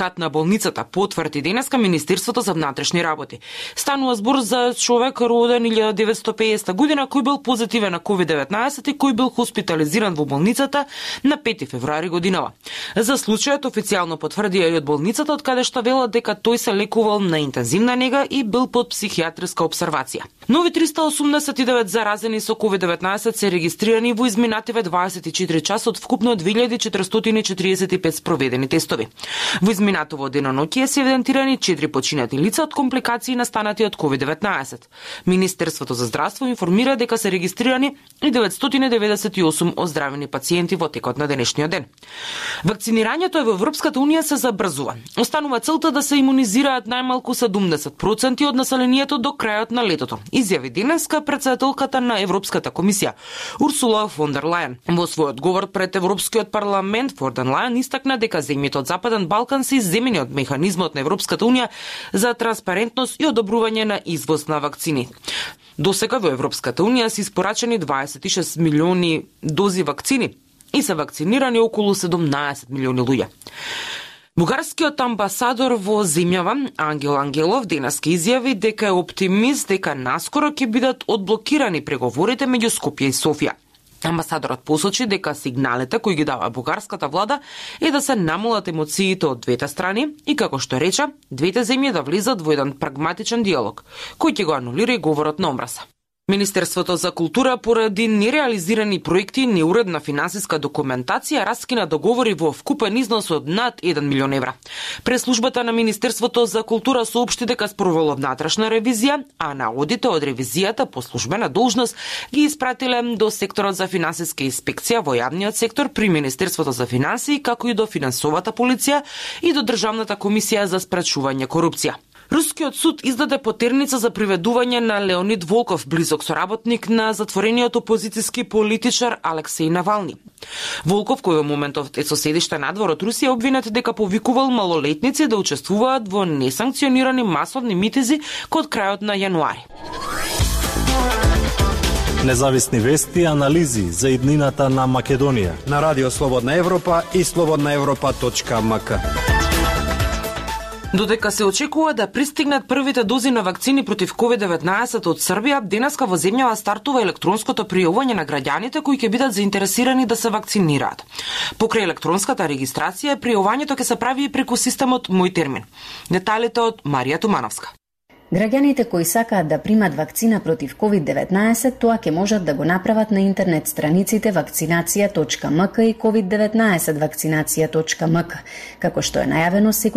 кат на болницата, потврди денеска Министерството за внатрешни работи. Станува збор за човек роден 1950 година кој бил позитивен на COVID-19 и кој бил хоспитализиран во болницата на 5 февруари годинава. За случајот официјално потврдија и од болницата, од каде што велат дека тој се лекувал на интензивна нега и бил под психијатриска обсервација. Нови 389 заразени со COVID-19 се регистрирани во изминативе 24 часа од вкупно 2445 спроведени тестови. Во изминатово деноноќие се евидентирани 4 починати лица од компликации настанати од COVID-19. Министерството за здравство информира дека се регистрирани и 998 оздравени пациенти во текот на денешниот ден. Вакцинирањето во Европската унија се забрзува. Останува целта да се имунизираат најмалку 70% од населението до крајот на летото, изјави денеска претседателката на Европската комисија Урсула фон дер Лајен. Во својот говор пред Европскиот парламент, фон дер Лајен истакна дека земјите од Западен Балкан се изземени од механизмот на Европската унија за транспарентност и одобрување на извоз на вакцини. Досега во Европската унија се испорачени 26 милиони дози вакцини и се вакцинирани околу 17 милиони луѓе. Бугарскиот амбасадор во земјава Ангел Ангелов денеска изјави дека е оптимист дека наскоро ќе бидат одблокирани преговорите меѓу Скопје и Софија. Амбасадорот посочи дека сигналите кои ги дава бугарската влада е да се намалат емоциите од двете страни и, како што рече, двете земји да влизат во еден прагматичен диалог, кој ќе го анулира и говорот на омраза. Министерството за култура поради нереализирани проекти и неуредна финансиска документација раскина договори во вкупен износ од над 1 милион евра. Преслужбата на Министерството за култура соопшти дека спровело внатрешна ревизија, а наодите од ревизијата по службена должност ги испратиле до секторот за финансиска инспекција во јавниот сектор при Министерството за финансии, како и до финансовата полиција и до Државната комисија за спречување корупција. Рускиот суд издаде потерница за приведување на Леонид Волков, близок соработник на затворениот опозицијски политичар Алексеј Навални. Волков, кој во моментов е со седиште надвор од Русија, обвинет дека повикувал малолетници да учествуваат во несанкционирани масовни митинзи код крајот на јануари. Независни вести и анализи за иднината на Македонија на Радио Слободна Европа и slobodnaevropa.mk. Додека се очекува да пристигнат првите дози на вакцини против COVID-19 од Србија, денеска во земјава стартува електронското пријавување на граѓаните кои ќе бидат заинтересирани да се вакцинираат. Покрај електронската регистрација, пријавувањето ќе се прави и преку системот Мој термин. Деталите од Марија Тумановска. Граѓаните кои сакаат да примат вакцина против COVID-19, тоа ќе можат да го направат на интернет страниците vakcinacija.mk и COVID-19 vakcinacija.mk. Како што е најавено, секој